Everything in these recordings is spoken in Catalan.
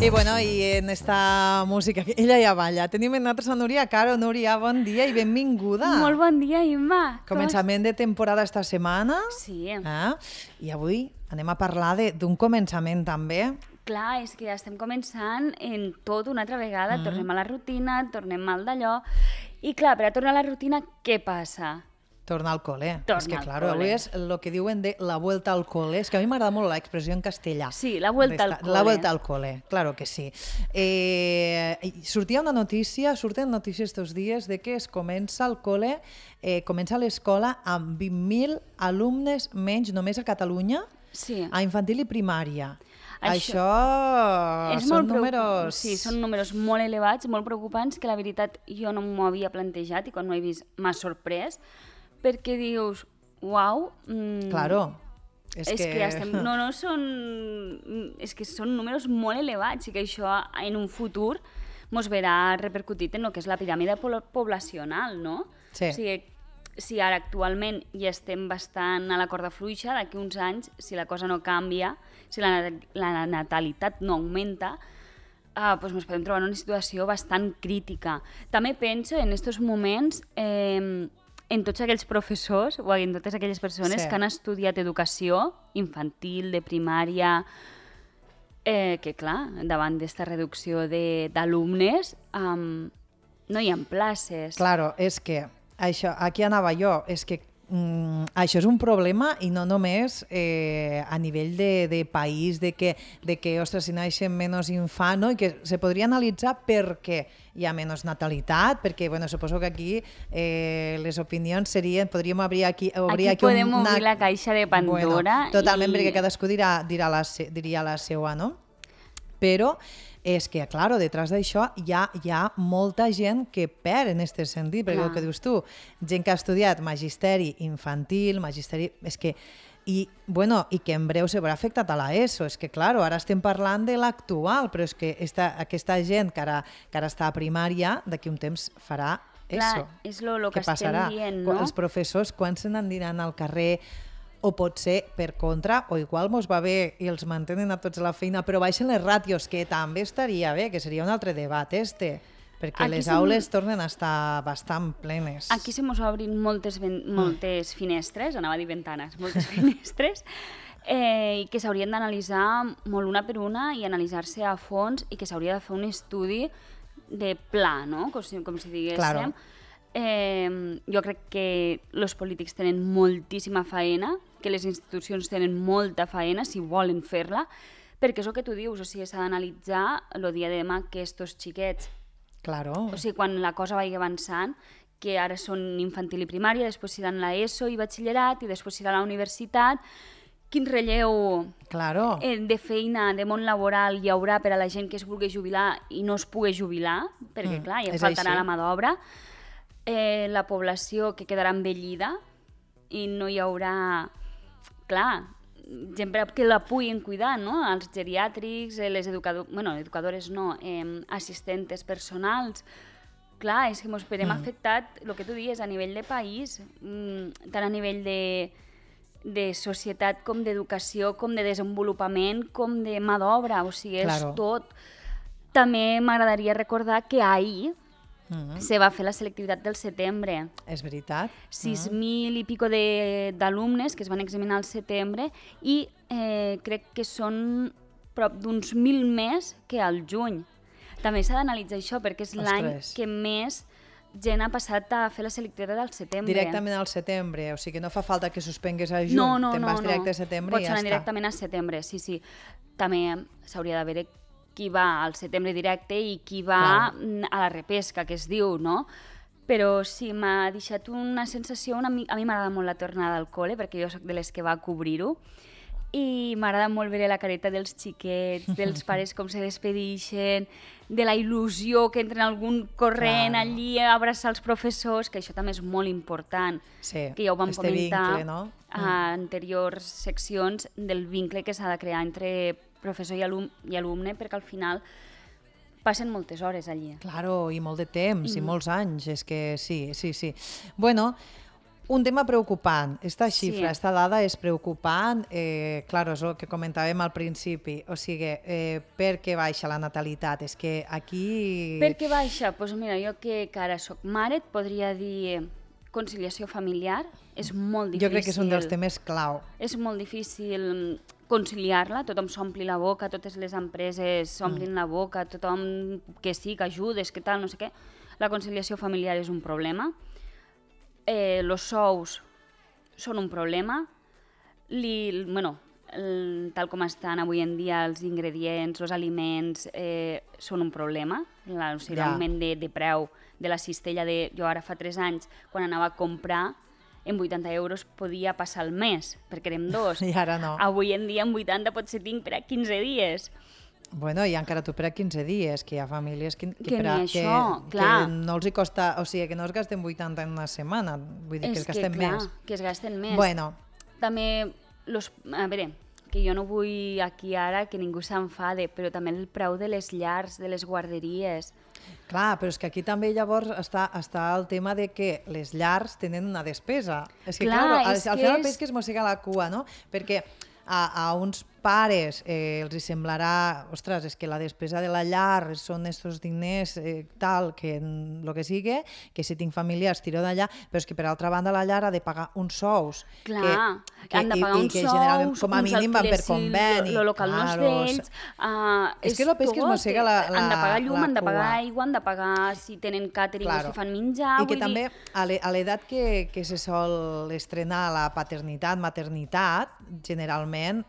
I bueno, i en esta música, ella ja balla. Tenim en nosaltres a Núria Caro. Núria, bon dia i benvinguda. Molt bon dia, Imma. Començament de temporada esta setmana. Sí. I avui anem a parlar d'un començament també. Clar, és que ja estem començant en tot una altra vegada. Tornem a la rutina, tornem al d'allò. I clar, per a tornar a la rutina, què passa? Tornar al col·le. Tornar és que, al claro, cole. avui és el que diuen de la vuelta al cole. És que a mi m'agrada molt l'expressió en castellà. Sí, la vuelta al cole. La vuelta al cole, claro que sí. Sortia una notícia, surten notícies estos dies de que es comença el cole, comença l'escola amb 20.000 alumnes menys només a Catalunya, Sí. a infantil i primària. Això és són molt números... Sí, són números molt elevats, molt preocupants, que la veritat jo no m'ho havia plantejat i quan m'ho he vist m'ha sorprès, perquè dius, uau... Claro. És que ja estem... És que són números molt elevats i que això en un futur mos verà repercutit en el que és la piràmide poblacional, no? Sí. O sigui, si ara actualment ja estem bastant a la corda fluixa, d'aquí uns anys, si la cosa no canvia, si la natalitat no augmenta, doncs ens podem trobar en una situació bastant crítica. També penso en aquests moments en tots aquells professors o en totes aquelles persones que han estudiat educació infantil, de primària, que clar, davant d'esta reducció d'alumnes no hi ha places. Claro, és que això, aquí anava jo, és que això és un problema i no només a nivell de país, de que ostres, si naixen menys infants, no? I que se podria analitzar per què hi ha menys natalitat, perquè bueno, suposo que aquí les opinions serien, podríem obrir aquí podem obrir la caixa de Pandora. Bueno, totalment, perquè cadascú diria la seva, no? Però és que, claro, detrás d'això hi ha molta gent que perd en aquest sentit, perquè el que dius tu, gent que ha estudiat magisteri infantil, magisteri... És que, i que en breu se veurà afectat a l'ESO. És que, claro, ara estem parlant de l'actual, però és que aquesta gent que ara està a primària, d'aquí un temps farà ESO. Clar, és el que estem dient, no? Els professors, quan se n'aniran al carrer, o potser, per contra, o igual mos va bé i els mantenen a tots a la feina, però baixen les ràtios, que també estaria bé, que seria un altre debat, perquè les aules tornen a estar bastant plenes. Aquí se mos obrin moltes finestres, anava a dir ventanes, moltes finestres, i que s'haurien d'analitzar molt una per una i analitzar-se a fons i que s'hauria de fer un estudi de pla, no? Com si diguéssim. Claro. Jo crec que els polítics tenen moltíssima faena, que les institucions tenen molta faena si volen fer-la, perquè és el que tu dius, o sigui, s'ha d'analitzar el dia de demà que estos xiquets, Claro. o sigui, quan la cosa vagi avançant, que ara són infantil i primària, després seran l'ESO i batxillerat, i després serà la universitat, quin relleu Claro. de feina, de món laboral hi haurà per a la gent que es vulgui jubilar i no es pugui jubilar, perquè clar, ja faltarà la mà d'obra, la població que quedarà envellida i no hi haurà, clar, gent que la puguin cuidar, no? Els geriàtrics, les educadores no, assistentes personals. Clar, és que ens verem afectat, el que tu dius, a nivell de país, tant a nivell de societat com d'educació, com de desenvolupament, com de mà d'obra, o sigui, és tot. També m'agradaria recordar que ahir se va fer la selectivitat del setembre. És veritat. 6.000 i pico d'alumnes que es van examinar al setembre i crec que són prop d'uns 1.000 més que al juny. També s'ha d'analitzar això perquè és l'any que més gent ha passat a fer la selectivitat al setembre. Directament al setembre, o sigui que no fa falta que suspengues a juny, te'n vas directe a setembre i ja està. Pots anar directament a setembre, sí. També s'hauria de veure qui va al setembre directe i qui va a la repesca, que es diu, no? Però sí, m'ha deixat una sensació... A mi m'agrada molt la tornada al col·le, perquè jo soc de les que va cobrir-ho, i m'agrada molt veure la careta dels xiquets, dels pares com se despedixen, de la il·lusió que entren algun corrent allí a abraçar els professors, que això també és molt important, que ja ho vam comentar a anteriors seccions, del vincle que s'ha de crear entre professor i alumne, perquè al final passen moltes hores allí. Claro, i molt de temps, i molts anys, és que sí. Bueno, Un tema preocupant. Esta xifra, esta dada és preocupant. Claro, és el que comentàvem al principi. O sigui, per què baixa la natalitat? És que aquí... Per què baixa? Doncs mira, jo que ara soc mare et podria dir conciliació familiar. És molt difícil. Jo crec que és un dels temes clau. És molt difícil conciliar-la, tothom s'ompli la boca, totes les empreses s'omplin la boca, tothom que sí, que ajudes, que tal, no sé què. La conciliació familiar és un problema. Los sous són un problema. Tal com estan avui en dia els ingredients, els aliments, són un problema. L'augment de preu de la cistella jo ara fa 3 anys, quan anava a comprar, en 80 euros podia passar el mes, perquè érem 2. I ara no. Avui en dia en 80 potser tinc per a 15 dies. Bueno, i encara tu per a 15 dies, que hi ha famílies que no els hi costa, o sigui, que no es gasten 80 en una setmana, vull dir que es gasten més. Que es gasten més. Bueno. També, a veure, que jo no vull aquí ara que ningú s'enfade, però també el preu de les llars, de les guarderies. Clar, però és que aquí també llavors està el tema de que les llars tenen una despesa. És que, clar, al final el peix que es mossega la cua, no? Perquè a uns pares els semblarà, ostres, és que la despesa de la llar són estos diners tal, que el que sigui, que si tinc familiars tiro d'allà, però és que per altra banda la llar ha de pagar uns sous. Clar, han de pagar uns sous, com a mínim van per conveni. El local no és d'ells. És que el peix que es mossega la han de pagar llum, han de pagar aigua, han de pagar si tenen càtering o si fan menjar. I que també a l'edat que se sol estrenar la paternitat, maternitat, generalment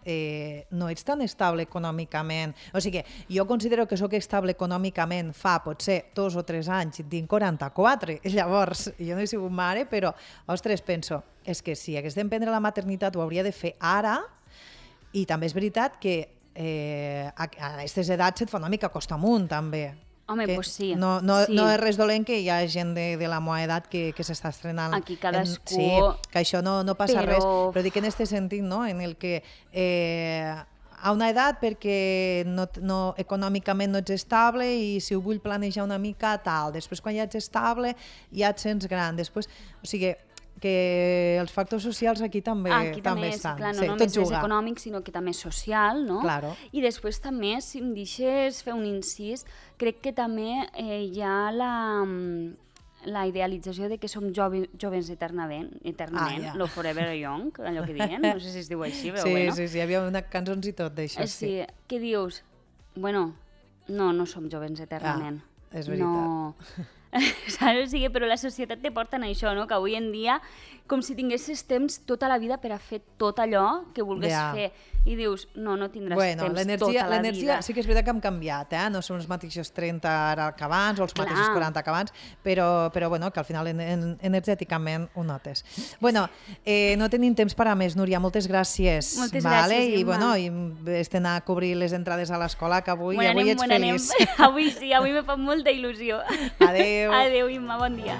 no ets tan estable econòmicament. O sigui, jo considero que sóc estable econòmicament fa potser 2 o 3 anys, tinc 44, llavors jo no he sigut mare, però, ostres, penso, és que si hagués d'emprendre la maternitat ho hauria de fer ara, i també és veritat que a aquestes edats et fa una mica costa amunt, també. Home, doncs sí. No és res dolent que hi ha gent de la meva edat que s'està estrenant. Aquí cadascú... Sí, que això no passa res, però dic en aquest sentit, no?, en el que a una edat perquè econòmicament no ets estable i si ho vull planejar una mica tal, després quan ja ets estable ja et sents gran, després, o sigui, que els factors socials aquí també estan. Clar, no només és econòmic, sinó que també és social, no? Claro. I després també, si em deixes fer un incís, crec que també hi ha la idealització de que som joves eternament, lo forever young, allò que diuen, no sé si es diu així, però bueno. Sí, hi havia una cançons i tot d'això, sí. Que dius, bueno, no som joves eternament. És veritat. Saps? O sigui, però la societat te porta en això, no? Que avui en dia, com si tinguessis temps tota la vida per a fer tot allò que vulguis fer. I dius, no tindràs temps tota la vida. L'energia sí que és veritat que hem canviat, no són els mateixos 30 ara que abans, o els mateixos 40 que abans, però bueno, que al final energèticament ho notes. Bueno, no tenim temps per a més, Núria, moltes gràcies. Moltes gràcies, Imma. I bueno, estem a cobrir les entrades a l'escola, que avui ets feliç. Avui sí, avui me fa molta il·lusió. Adéu. Adéu, Imma, bon dia.